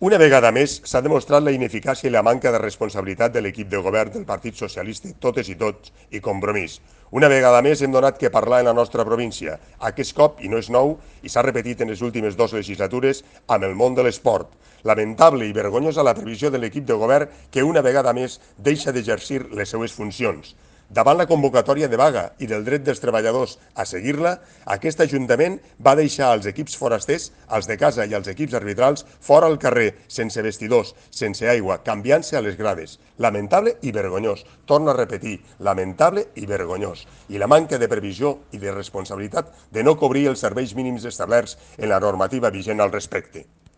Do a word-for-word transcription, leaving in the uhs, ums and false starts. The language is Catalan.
Una vegada més s'ha demostrat la ineficàcia i la manca de responsabilitat de l'equip de govern del Partit Socialista, totes i tots, i Compromís. Una vegada més hem donat que parlar en la nostra província, aquest cop, i no és nou, i s'ha repetit en les últimes dues legislatures, amb el món de l'esport. Lamentable i vergonyosa la previsió de l'equip de govern que una vegada més deixa d'exercir les seues funcions. Davant la convocatòria de vaga i del dret dels treballadors a seguir-la, aquest Ajuntament va deixar els equips forasters, els de casa i els equips arbitrals, fora al carrer, sense vestidors, sense aigua, canviant-se a les grades. Lamentable i vergonyós. Torno a repetir, lamentable i vergonyós. I la manca de previsió i de responsabilitat de no cobrir els serveis mínims establerts en la normativa vigent al respecte.